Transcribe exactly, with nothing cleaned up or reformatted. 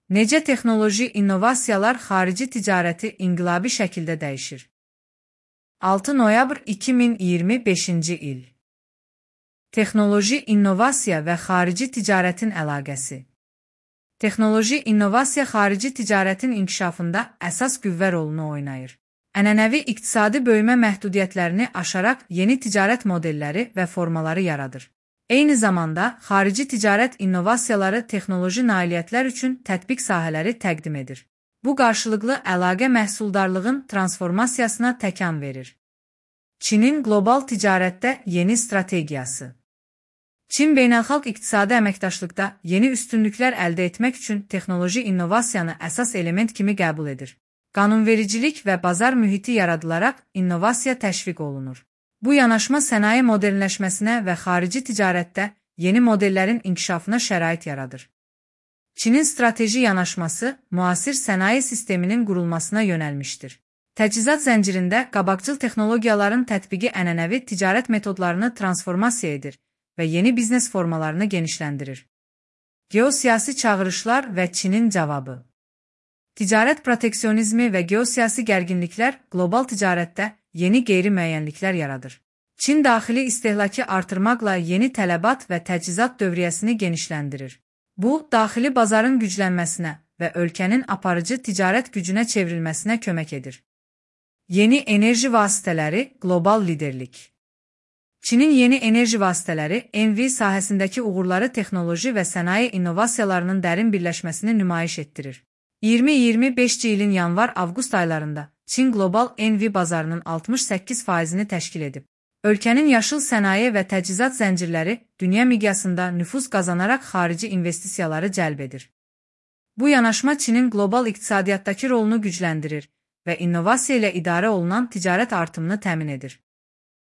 Necə texnoloji innovasiyalar xarici ticarəti inqilabi şəkildə dəyişir? altı noyabr iki min iyirmi beşinci il. Texnoloji innovasiya və xarici ticarətin əlaqəsi. Texnoloji innovasiya xarici ticarətin inkişafında əsas qüvvə rolunu oynayır. Ənənəvi iqtisadi böyümə məhdudiyyətlərini aşaraq yeni ticarət modelləri və formaları yaradır. Eyni zamanda, xarici ticarət innovasiyaları texnoloji nailiyyətlər üçün tətbiq sahələri təqdim edir. Bu qarşılıqlı əlaqə məhsuldarlığın transformasiyasına təkan verir. Çinin qlobal ticarətdə yeni strategiyası. Çin beynəlxalq iqtisadi əməkdaşlıqda yeni üstünlüklər əldə etmək üçün texnoloji innovasiyanı əsas element kimi qəbul edir. Qanunvericilik və bazar mühiti yaradılaraq innovasiya təşviq olunur. Bu yanaşma sənaye modernləşməsinə və xarici ticarətdə yeni modellərin inkişafına şərait yaradır. Çinin strateji yanaşması müasir sənaye sisteminin qurulmasına yönəlmişdir. Təchizat zəncirində qabaqcıl texnologiyaların tətbiqi ənənəvi ticarət metodlarını transformasiya edir və yeni biznes formalarını genişləndirir. Geosiyasi çağırışlar və Çinin cavabı. Ticarət proteksionizmi və geosiyasi gərginliklər qlobal ticarətdə yeni qeyri-müəyyənliklər yaradır. Çin daxili istehlakı artırmaqla yeni tələbat və təchizat dövriyyəsini genişləndirir. Bu, daxili bazarın güclənməsinə və ölkənin aparıcı ticarət gücünə çevrilməsinə kömək edir. Yeni enerji vasitələri, qlobal liderlik. Çinin yeni enerji vasitələri, E N V sahəsindəki uğurları texnoloji və sənaye innovasiyalarının dərin birləşməsini nümayiş etdirir. iyirmi iyirmi beşinci ilin yanvar-avqust aylarında Çin qlobal E N V bazarının altmış səkkiz faizini təşkil edib. Ölkənin yaşıl sənaye və təchizat zəncirləri dünya miqyasında nüfuz qazanaraq xarici investisiyaları cəlb edir. Bu yanaşma Çinin qlobal iqtisadiyyatdakı rolunu gücləndirir və innovasiya ilə idarə olunan ticarət artımını təmin edir.